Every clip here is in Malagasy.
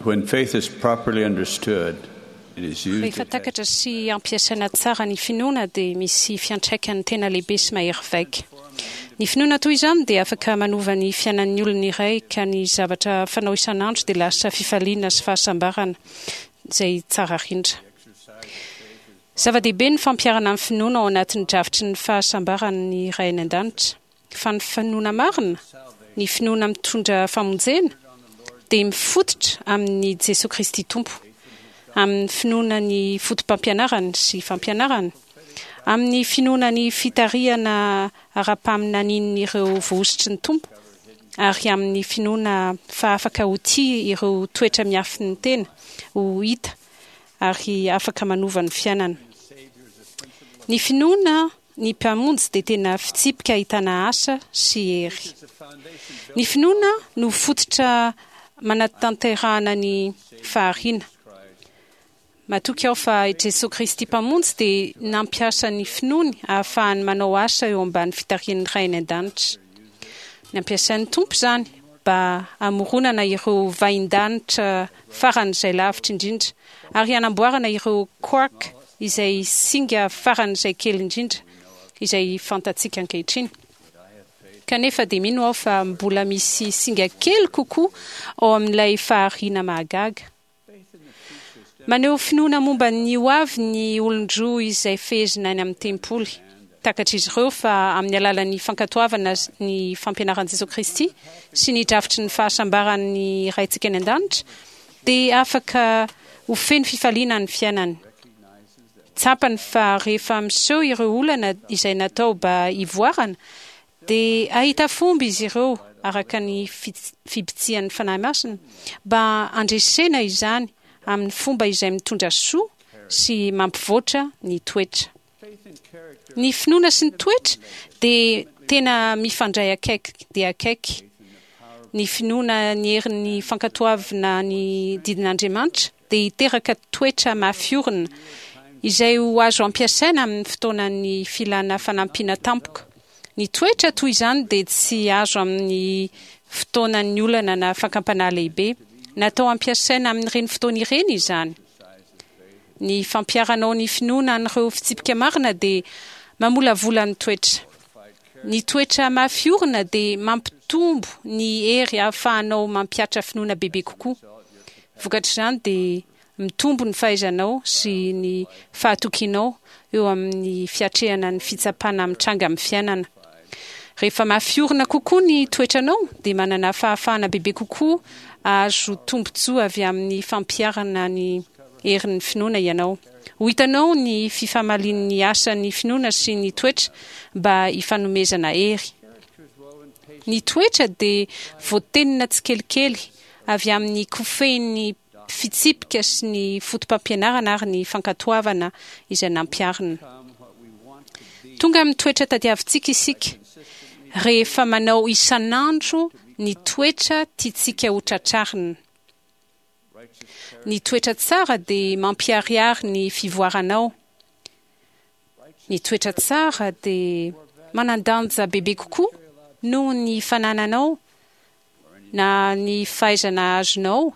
When faith is properly understood, it is used Rehefa takatra sy ampiasaina tsara ny finoana dia misy fiantraikany tena lehibe sy mahery vaika. Ny finoana toy izany dia afaka manova ny fiainan'ny olona iray ka ny zavatra fanao isan'andro dia lasa fifaliana sy fahasambarana izay tsara rindra. Zava-dehibe ny fampiharana ny finoana ao anatin'ny drafitry ny fahasambaran'ny Ray any An-danitra. Fa ny finoana marina, ny finoana mitondra famonjena, dia mifototra amin'i Jesoa Kristy Tompo, amin'ny finoana ny fotopampianarany sy fampianarany, amin'ny finoana ny fitarihana ara-paminanian'ireo voahosotry ny Tompo, ary amin'ny finoana fa afaka ho tia ireo toetra miafin'ny tena ho hita ary afaka manova ny fiainana. Ny finoana Ny Mpamonjy dia tena fitsipika ahitana asa sy hery. Ny finoana no fototra manatanterahana ny fahariana. Matoky aho fa i Jesoa Kristy Mpamonjy dia nampiasa ny finoany ahafahany manao asa eo ambany fitarihan'ny Ray any An-danitra. Nampiasain'ny Tompo izany mba hamoronana ireo vahindanitra faran'izay lavitra indrindra ary hanamboarana ireo quark izay singa faran'izay kely indrindra izay fantatsika ankehitriny. Kanefa dia mino aho fa mbola misy singa kely kokoa ao amin'ilay fahariana mahagaga. Maneho finoana momba ny ho avy ny olon-droa izay fehezina any amin'ny tempoly. Takatr'izy ireo fa amin'ny alalan'ny fankatoavana ny fampianaran'i Jesoa Kristy sy ny drafitry ny fahasambaran'ny Raintsika any An-danitra dia afaka ho feno fifaliana ny fiainany. Tsapany fa rehefa miseho ireo olana izay natao mba hivoarana Dia hahita fomba izy ireo, araka ny fibitsihan'ny Fanahy Masina, mba handresena izany amin'ny fomba izay mitondra soa sy mampivoatra ny toetra. Ny finoana sy ny toetra dia tena mifandray akaiky dia akaiky. Ny finoana ny herin'ny fankatoavina ny didin'Andriamanitra dia hiteraka toetra mafy orina, izay ho azo ampiasaina amin'ny fotoanan'ny filana fanampiana tampoka. Ny toetra toy izany dia tsy azo amin'ny fotoanan'ny olana na fakam-panahy lehibe. Natao hampiasaina amin'ireny fotoana ireny izany. Ny fampiharanao ny finoana an'ireo fitsipika marina dia mamolavola ny toetra. Ny toetra mafy orina dia mampitombo ny hery ahafahanao mampihatra finoana bebe kokoa. Vokatr'izany dia mitombo ny fahaizanao sy ny fahatokianao eo amin'ny fiatrehana ny fitsapana mitranga amin'ny fiainana. Rehefa mafy orina kokoa ny toetranao dia manana fahafahana bebe kokoa hahazo tombontsoa avy amin'ny fampiharana ny herin'ny finoana ianao. Ho hitanao ny fifamalian'ny asan'ny finoana sy ny toetra mba hifanomezana hery. Ny toetra dia voatenona tsikelikely avy amin'ny kofehin'ny fitsipika sy ny fotopampianarana ary ny fankatoavana izay nampiharina. Tonga amin'ny toetra tadiavintsika isika rehefa manao isan'andro ny toetra tiantsika ho tratrarina. Ny toetra tsara dia mampiharihary ny fivoaranao. Ny toetra tsara dia manan-danja bebe kokoa noho ny fanananao na ny fahaizana azonao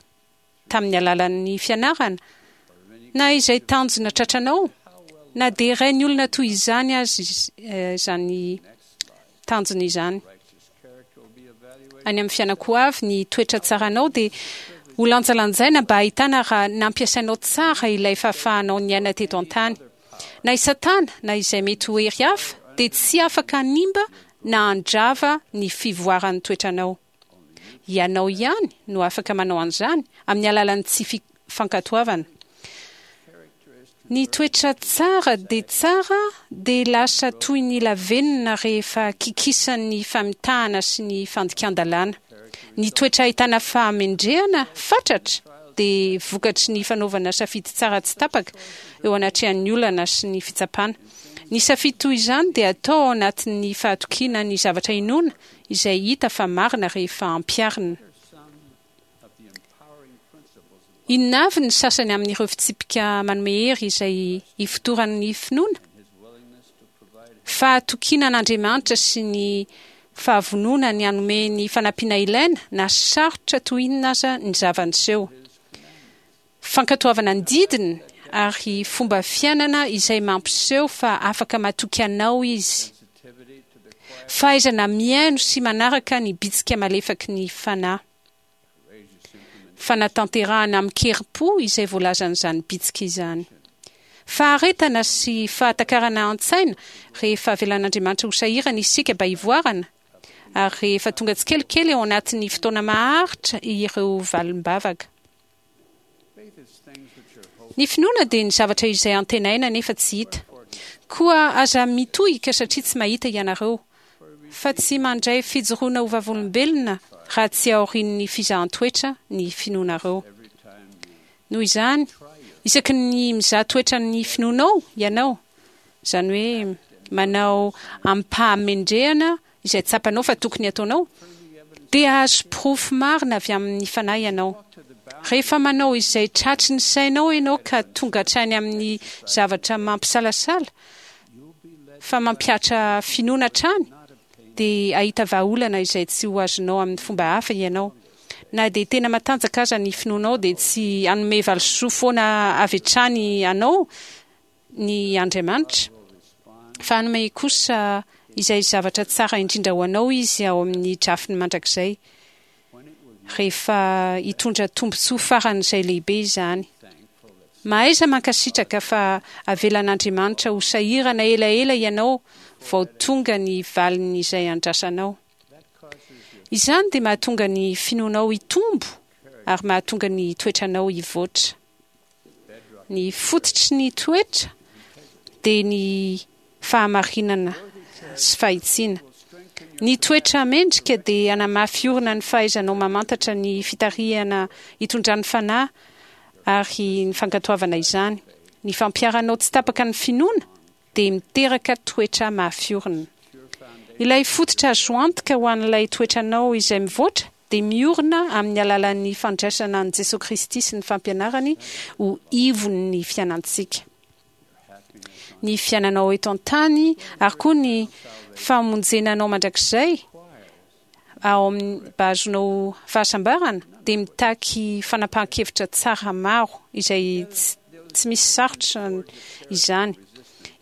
tamin'ny alalan'ny fianarana, na izay tanjona tratranao, na dia rain'ny olona toy izany aza izany tanjona izany. Any amin'ny fiainako ho avy, ny toetra tsaranao dia ho lanjalanjaina mba hahitana raha nampiasainao tsara ilay fahafahanao niaina teto an-tany. Na i Satana na izay mety ho hery hafa dia tsy afaka hanimba na handrava ny fivoaran'ny toetranao. Ianao ihany no afaka manao an'izany amin'ny alalan'ny tsy fankatoavana. Ny toetra tsara dia tsara dia lasa toy ny lavenona rehefa kikisan'ny famitahana sy ny fandikan-dalàna. Ny toetra ahitana fahamendrehana fatratra dia vokatry ny fanaovana safidy tsara tsy tapaka eo anatrehan'ny olana sy ny fitsapana. Ny safidy toy izany dia atao ao anatin'ny fahatokiana ny zavatra inoana izay hita fa marina rehefa ampiharina. Inona avy ny sasany amin'ireo fitsipika manome hery izay ifotoran'ny finoana? Fahatokiana an'Andriamanitra sy ny fahavonona ny hanome ny fanampiana ilaina na sarotra toy inona aza ny zava-niseho. Fankatoavana ny didiny ary fomba fiainana izay mampiseho fa afaka matoky anao izy. Fahaizana mihaino sy manaraka ny bitsika malefaky ny Fanahy. Fanatanterahana amin-kerim-po izay voalazan'izany bitsika izany. Faharetana sy fahatakarana an-tsaina rehefa avelan'Andriamanitra ho sahirana isika mba hivoarana, ary rehefa tonga tsikelikely ao anatin'ny fotoana maharitra ireo valim-bavaka. Ny finoana dia ny zavatra izay antenaina nefa tsy hita. Koa aza mitohika satria tsy mahita ianareo, fa tsy mandray fijoroana ho vavolombelona raha tsy aorian'ny fizahan-toetra ny finoanareo. Noho izany, isaky ny mizaha toetra ny finoanao ianao, izany hoe manao amim-pahamendrehana izay tsapanao fa tokony hataonao, dia hahazo porofo marina avy amin'ny Fanahy ianao. Rehefa manao izay tratry ny sainao ianao ka tonga hatrany amin'ny zavatra mampisalasala fa mampihatra finoana hatrany, dia hahita vahaolana izay tsy ho azonao amin'ny fomba hafa ianao. Na dia tena matanjaka aza ny finoanao dia tsy hanome valisoa foana avy hatrany anao ny Andriamanitra, fa hanome kosa izay zavatra tsara indrindra ho anao Izy ao amin'ny drafiny mandrakizay, rehefa hitondra tombontsoa faran'izay lehibe izany. Mahaiza mankasitraka fa avelan'Andriamanitra ho sahirana elaela ianao vao tonga ny valin'izay andrasanao. Izany dia mahatonga ny finoanao hitombo ary mahatonga ny toetranao hivoatra. Ny fototry ny toetra dia ny fahamarinana sy fahitsiana. Ny toetra mendrika dia hanamafy orina ny fahaizanao mamantatra ny fitarihana itondran'ny Fanahy ary ny fankatoavana izany. Ny fampiharanao tsy tapaka ny finoana dia miteraka toetra mafy orina. Ilay fototra azo antoka ho an'ilay toetranao izay mivoatra dia miorina amin'ny alalan'ny fandraisana an'i Jesoa Kristy sy ny fampianarany ho ivon'ny fiainantsika. Ny fiainanao eto an-tany ary koa ny famonjena anao mandrakizay ao amin'ny mba hahazoanao fahasambarana dia mitaky fanapahan-kevitra tsara maro izay tsy misy sarotra izany.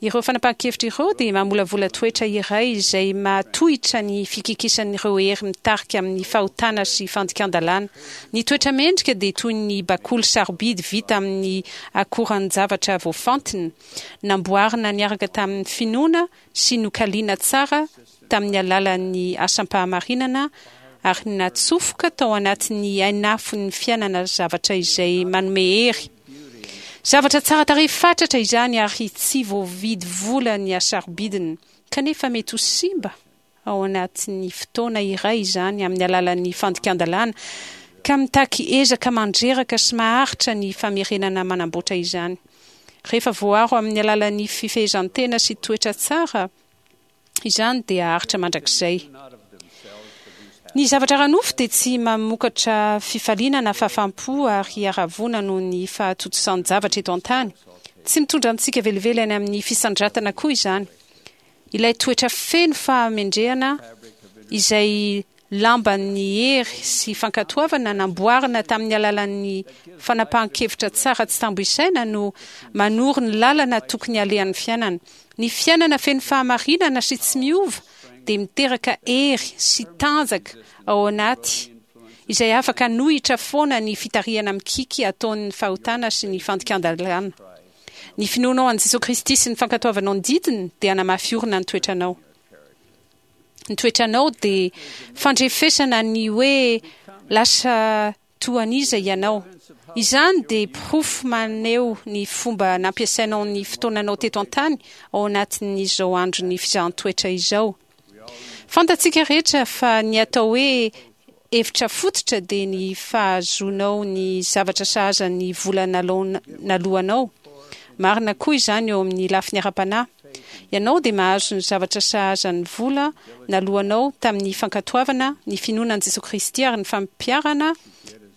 Ireo fanapahan-kevitra ireo dia mamolavola toetra iray izay mahatohitra ny fikikisan'ireo hery mitarika amin'ny fahotana sy fandikan-dalàna. Ny toetra mendrika dia toy ny bakoly sarobidy vita amin'ny akoran-javatra voafantina, namboarina niaraka tamin'ny finoana sy nokaliana tsara tamin'ny alalan'ny asam-pahamarinana ary natsofoka tao anatin'ny hainafon'ny fiainana zavatra izay manome hery. Zavatra tsara tarehy fatratra izany ary tsy voavidy vola ny hasarobidiny, kanefa mety ho simba ao anatin'ny fotoana iray izany amin'ny alalan'ny fandikan-dalàna, ka mitaky ezaka mandreraka sy maharitra ny famerenana manamboatra izany. Rehefa voaro amin'ny alalan'ny fifehezan-tena sy toetra tsara, Izany dia haharitra mandrakizay. Ny zavatra ara-nofo dia tsy mamokatra fifaliana na fahafaham-po ary haravoana noho ny fahatontosan-javatra eto an-tany. Tsy mitondra antsika velively any amin'ny fisandratana koa izany. Ilay toetra feno fahamendrehana izay lamban'ny hery sy fankatoavana namboarina tamin'ny alalan'ny fanapahan-kevitra tsara tsy tambo isaina no manoro ny lalana tokony halehan'ny fiainana. Ny fiainana feno fahamarinana sy tsy miova dia miteraka hery sy tanjaka ao anaty izay afaka hanohitra foana ny fitarihana mikiky ataon'ny fahotana sy ny fandikan-dalàna. Ny finoanao an'i Jesoa Kristy sy ny fankatoavanao ny didiny dia hanamafy orina ny toetranao. Ny toetranao dia fandrefesana ny hoe lasa toa an'iza ianao. Izany dia porofo maneho ny fomba nampiasainao ny fotoananao teto an-tany ao anatin'izao andron'ny fizahan-toetra izao. Fantatsika rehetra fa ny atao hoe hevitra fototra dia ny fahazoanao ny zavatra sahaza ny vola naloanao. Marina koa izany eo amin'ny lafiny ara-panahy. Ianao dia mahazo ny zavatra sahaza ny vola naloanao tamin'ny fankatoavana ny finoana an'i Jesoa Kristy ary ny fampiharana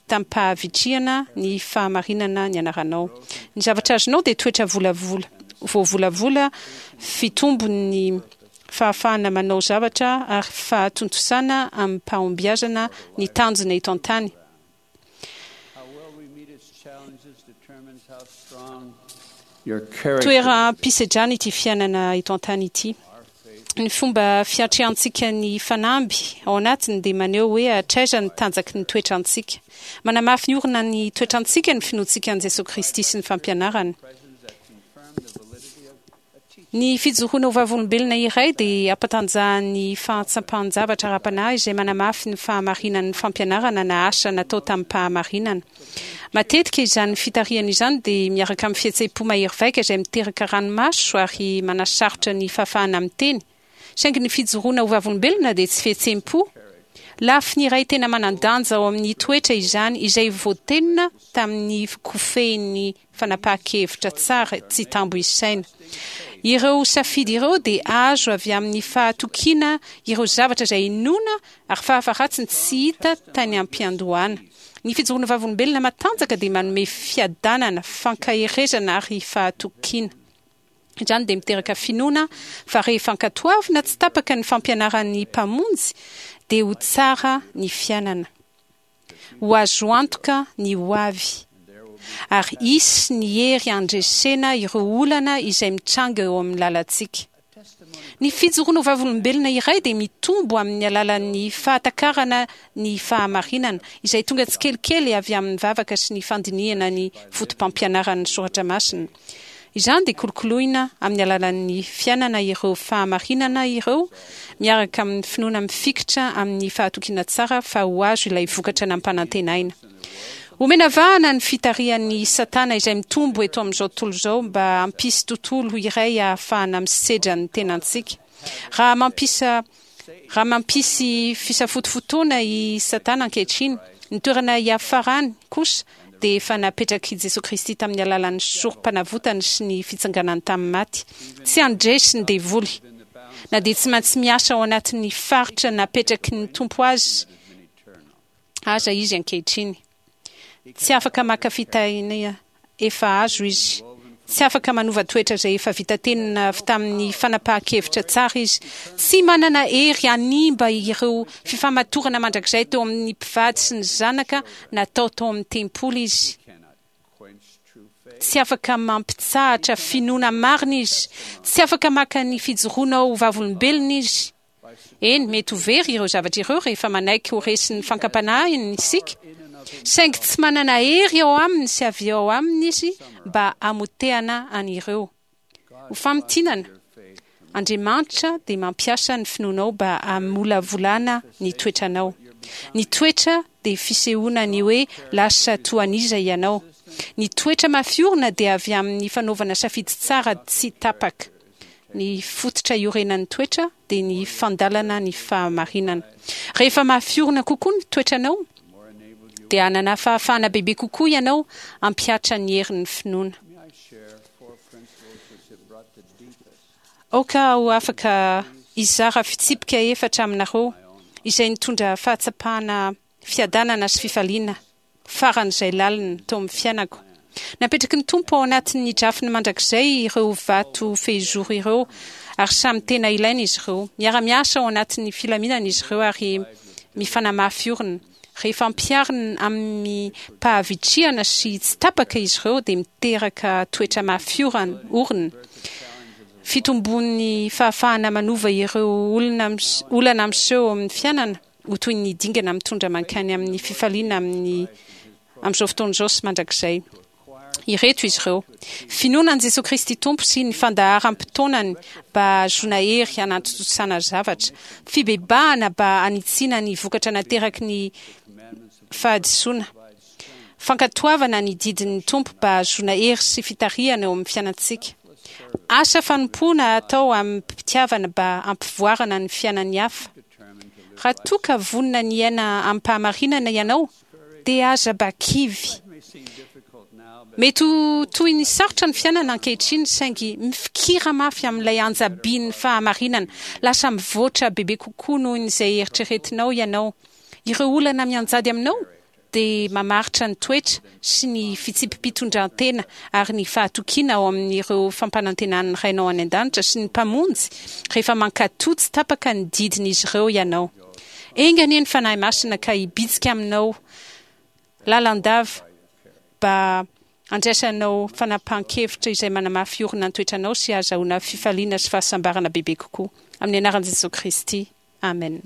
tamim-pahavitrihana ny fahamarinana nianaranao. Ny zavatra azonao dia toetra volavola, voavolavola, fitombon'ny fahafahana manao zavatra ary fahatontosana amim-pahombiazana ny tanjona eto an-tany. Toeram-pisedrana ity fiainana eto an-tany ity. Ny fomba fiatrehantsika ny fanamby ao anatiny dia maneho hoe hatraiza ny tanjaky ny toetrantsika. Manamafy ny orina ny toetrantsika ny finoantsika an'i Jesoa Kristy sy ny fampianarany. Ny fijoroana ho vavolombelona iray dia ampatanjahan'ny fahatsapan-javatra ara-panahy izay manamafy ny fahamarinan'ny fampianarana na asa natao tamim-pahamarinana. Matetika izany fitarihana izany dia miaraka amin'ny fihetseham-po mahery vaika izay miteraka ranomaso ary manasarotra ny fahafahana miteny. Saingy ny fijoroana ho vavolombelona dia tsy fihetseham-po. Lafiny iray tena manan-danja ao amin'ny toetra izany izay voatenona tamin'ny kofehin'ny fanapahan-kevitra tsara tsy tambo isaina. Ireo safidy ireo dia azo avy amin'ny fahatokiana ireo zavatra izay inoana ary fahafaharatsiny tsy hita tany am-piandohana. Ny fijoroana vavolombelona matanjaka dia manome fiadanana, fankaherezana ary fahatokiana. Izany dia miteraka finoana fa rehefa ankatoavina tsy tapaka ny fampianaran'ny Mpamonjy dia ho tsara ny fiainana. Ho azo antoka ny ho avy. Ary hisy ny hery handresena ireo olana izay mitranga eo amin'ny lalantsika. Ny fijoroana ho vavolombelona iray dia mitombo amin'ny alalan'ny fahatakarana ny fahamarinana, izay tonga tsikelikely avy amin'ny vavaka sy ny fandinihana ny fotopampianaran'ny soratra masina. Izany dia kolokoloina amin'ny alalan'ny fiainana ireo fahamarinana ireo miaraka amin'ny finoana mifikitra amin'ny fahatokiana tsara fa ho azo ilay vokatra nampanantenaina. Omena vahana ny fitarihan'i Satana izay mitombo eto amin'izao tontolo izao mba hampisy tontolo iray ahafahana misedra ny tenantsika. Raha mampisa raha mampisy fisafotofotoana i Satana ankehitriny, ny toerana hiafarany kosa dia efa napetrak'i Jesoa Kristy tamin'ny alalan'ny sorom-panavotany sy ny fitsanganany tamin'ny maty. Tsy handresy ny devoly, na dia tsy maintsy miasa ao anatin'ny faritra napetraky ny Tompo azy aza izy ankehitriny. Tsy afaka maka fitahiana efa azo izy. Tsy afaka manova toetra izay efa vita tenona avy tamin'ny fanapahan-kevitra tsara izy. Tsy manana hery hanimba ireo fifamatorana mandrakizay teo amin'ny mpivady sy ny zanaka natao tao amin'ny tempoly izy. Tsy afaka mampitsahatra finoana marina izy. Tsy afaka maka ny fijoroana ho vavolombelona izy. Eny, mety ho very ireo zavatra ireo rehefa manaiky ho resin'ny fankam-panahiny isika, saingy tsy manana hery ao aminy sy avy ao aminy izy mba hamotehana an'ireo. Ho famintinana, Andriamanitra dia mampiasa ny finoanao mba hamolavolana ny toetranao. Ny toetra dia fisehoana ny hoe lasa toa an'iza ianao. Ny toetra mafy orina dia avy amin'ny fanaovana safidy tsara tsy tapaka. Ny fototra iorenan'ny toetra dia ny fandalana ny fahamarinana. Rehefa mafy orina kokoa ny toetranao, dia hanana fahafahana bebe kokoa ianao hampihatra ny herin'ny finoana. Aoka aho afaka hizara fitsipika efatra aminareo izay nitondra fahatsapana fiadanana sy fifaliana faran'izay lalina teo amin'ny fiainako. Napetraky ny Tompo ao anatin'ny drafiny mandrakizay ireo vato fehizoro ireo ary samy tena ilaina izy ireo. Miara-miasa ao anatin'ny filaminana izy ireo ary mifanamafy orina. Rehefa ampiharina amim-pahavitrihana sy tsy tapaka izy ireo dia miteraka toetra mafy orina. Fitombon'ny fahafahana manova ireo olona olana miseho eo amin'ny fiainana ho toy ny dingana mitondra mankany amin'ny fifaliana amin'ny amin'izao fotoana izao sy mandrakizay. Ireto izy ireo, Finoana an'i Jesoa Kristy Tompo sy ny fandaharam-potoanany mba hahazoana hery hanatontosana zavatra, fibebahana mba hanitsiana ny vokatra nateraky ny fahadisoana, fankatoavana ny didin'ny Tompo mba hahazoana hery sy fitarihana eo amin'ny fiainantsika, asa fanompoana atao amim-pitiavana mba hampivoarana ny fiainan'ny hafa. Raha toa ka vonona ny hiaina amim-pahamarinana ianao, dia aza mba kivy. Mety ho toy ny sarotra ny fiainana ankehitriny, saingy mifikira mafy amin'ilay anja-bin'ny fahamarinana. Lasa mivoatra bebe kokoa noho izay eritreretinao ianao. Ireo olana mianjady aminao dia mamaritra ny toetra sy ny fitsipi-pitondran-tena ary ny fahatokiana ao amin'ireo fampanantenan'ny Rainao any An-danitra sy ny Mpamonjy rehefa mankatò tsy tapaka ny didin'izy ireo ianao. Enga anie ny Fanahy Masina ka hibitsika aminao lalandava. mba handraisanao fanapahan-kevitra izay manamafy orina ny toetranao sy hahazahoana fifaliana sy fahasambarana bebe kokoa. Amin'ny anaran'i Jesoa Kristy, Amen.